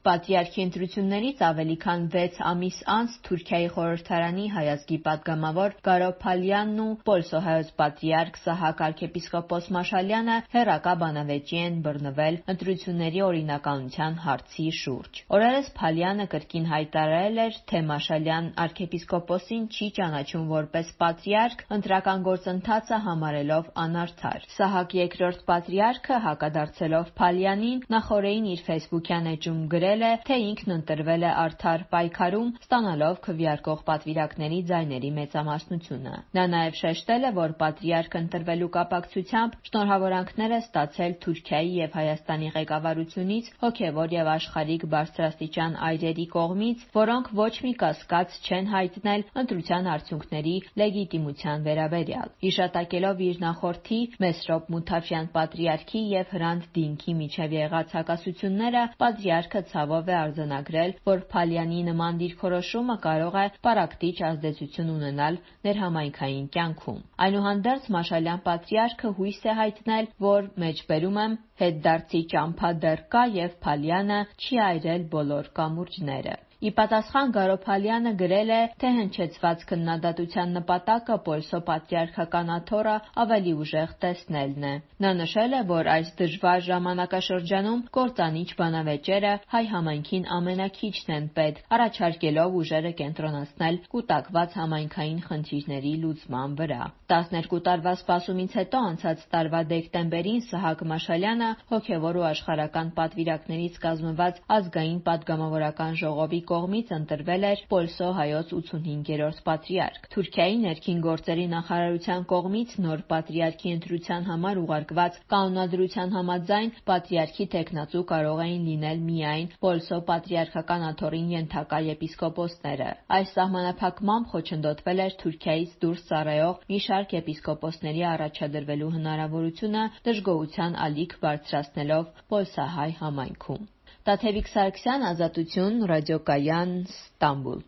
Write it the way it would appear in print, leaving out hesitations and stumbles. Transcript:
Պատրիարքի ընտրություններից ավելի քան 6 ամիս անց Թուրքիայի խորհրդարանի հայազգի պատգամավոր Գարո Փալյանն ու պոլսոհայոց պատրիարք Սահակ arczepiskopos Մաշալյանը հեռակա բանավեճի են բռնվել ընտրությունների օրինականության հարցի շուրջ։ Օրերս Փալյանը կրկին հայտարարել էր, թե Մաշալյան arczepiskoposին չի ճանաչում որպես պատրիարք, ընտրական գործընթացը համարելով անարդար։ Սահակ II պատրիարքը հակադարձելով Փալյանին նախօրեին իր ֆեյսբուքյան էջում գրել է, թե ինքն ընտրվել է արդար պայքարում, ստանալով քվեարկող պատվիրակների ձայների մեծամասնությունը։ Նա նաև շեշտել է, որ պատրիարք ընտրվելու կապակցությամբ շնորհավորանքներ է ստացել Թուրքիայի և Հայաստանի ղեկավարությունից, հոգևոր և աշխարհիկ բարձրաստիճան այրերի կողմից, որոնք ոչ մի կասկած չեն հայտնել ընտրության արդյունքների լեգիտիմության վերաբերյալ։ Հիշատակելով իր նախորդի Մեսրոպ Մութաֆյան պատրիարքի և Հրանտ Դինքի միջև եղած հակասությունները, պատրիարքը ցավով է արձանագրել, որ Փալյանի նման դիրքորոշումը կարող է պառակտիչ ազդեցություն ունենալ ներհամայնքային կյանքում։ Այնուհանդերձ Մաշալյան պատրիարքը հույս է հայտնել, որ հետդարձի ճամփա դեռ կա և Փալյանը չի այրել բոլոր կամուրջները։ Ի պատասխան Գարո Փալյանը գրել է, թե հնչեցված քննադատության նպատակը պոլսո պատրիարքական աթոռը ավելի ուժեղ տեսնելն է։ Նա նշել է, որ այս դժվար ժամանակաշրջանում կործանիչ բանավեճերը հայ համայնքին ամենաքիչն են պետք, առաջարկելով ուժերը կենտրոնացնել կուտակված համայնքային խնդիրների լուծման վրա։ 12 տարվա սպասումից հետո անցած տարվա դեկտեմբերին Սահակ Մաշալյանը հոգևոր ու աշխարհական պատվիրակներից կազմված ազգային պատգամավորական ժողովի կողմից ընտրվել էր պոլսո հայոց 85-րդ պատրիարք։ Թուրքիայի ներքին գործերի նախարարության կողմից նոր պատրիարքի ընտրության համար ուղարկված կանոնադրության համաձայն պատրիարքի թեկնածու կարող էին լինել միայն պոլսո պատրիարքական աթոռին ենթակա եպիսկոպոսները։ Այս սահմանափակմամբ խոչընդոտվել էր Թուրքիայից դուրս ծառայող մի շարք եպիսկոպոսների առաջադրվելու հնարավորությունը, դժգոհության ալիք բարձրացնելով պոլսահայ համայնքում։ Տաթևիկ Սարգսյան, Ազատություն, Ռադիոկայան, Ստամբուլ։